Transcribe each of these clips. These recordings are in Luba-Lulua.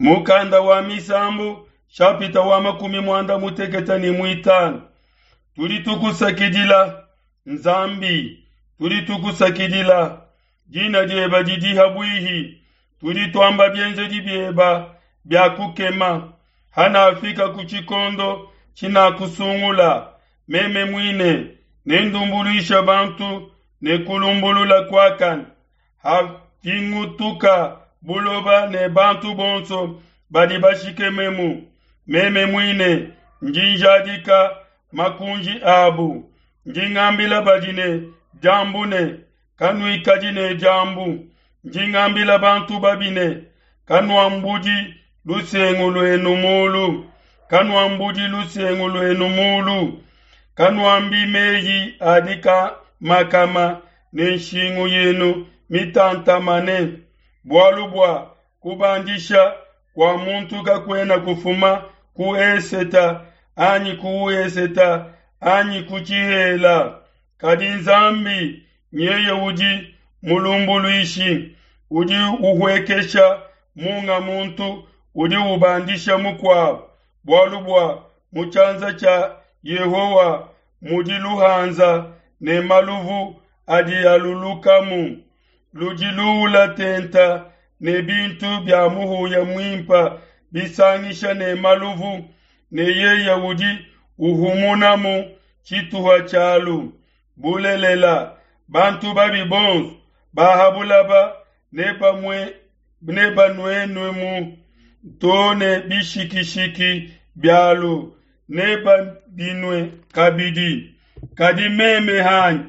Mukanda wa Misambu shapita wa 85. Tudi tukusakidila Nzambi, tudi tukusakidila dina dieba didi habwihi, tudi twamba bienzedi bieba bia kukema. Hanafika ku tshikondo tshinakusungula, meme muine nendumbuluisha bantu ne kulumbulula kuakane. Havingutuka buloba ne bantu bonso badi bashikememu, meme muine ndi njadika makunji abu. Ndi ngambila badi ne diambu ne, kanuikadi ne diambu. Ndi ngambila bantu babi ne, kanuambudi lusengu luenu mulu, kanuambudi lusengu luenu mulu, kanuambi meyi adi kamakama ne nshingu yenu mitantamane, bualu bua kubandisha kua muntu kakuena kufuma ku eseta anyi ku eseta anyi ku tshihela, kadi Nzambi nyeye udi mulumbuluishi, udi uhuekesha munga muntu, udi ubandisha mukuabo, bualu bua mu tshianza tshia Yehowa mudi luhanza ne maluvu adi alulukamu, ludi luula tenta ne bintu bia muhuya muimpa bisangisha ne maluvu, ne yeye udi uhumunamu tshituha tshialu. Bulelela, bantu babi bonso ba ha bulaba nebanuenuemu to ne bishikishiki bialu, nebabinue kabidi. Kadi meme hanyi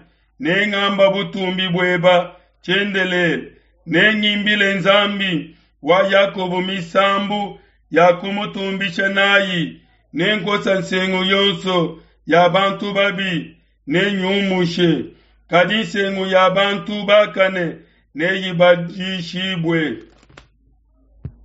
nengamba butumbi bueba tshiendelele, nengimbile Nzambi wa Yakobo misambu ya kumutumbisha nayi, nenkosa nsengu yonso ya bantu babi nenyumushe, kadi nsengu ya bantu bakane neyibadishibue.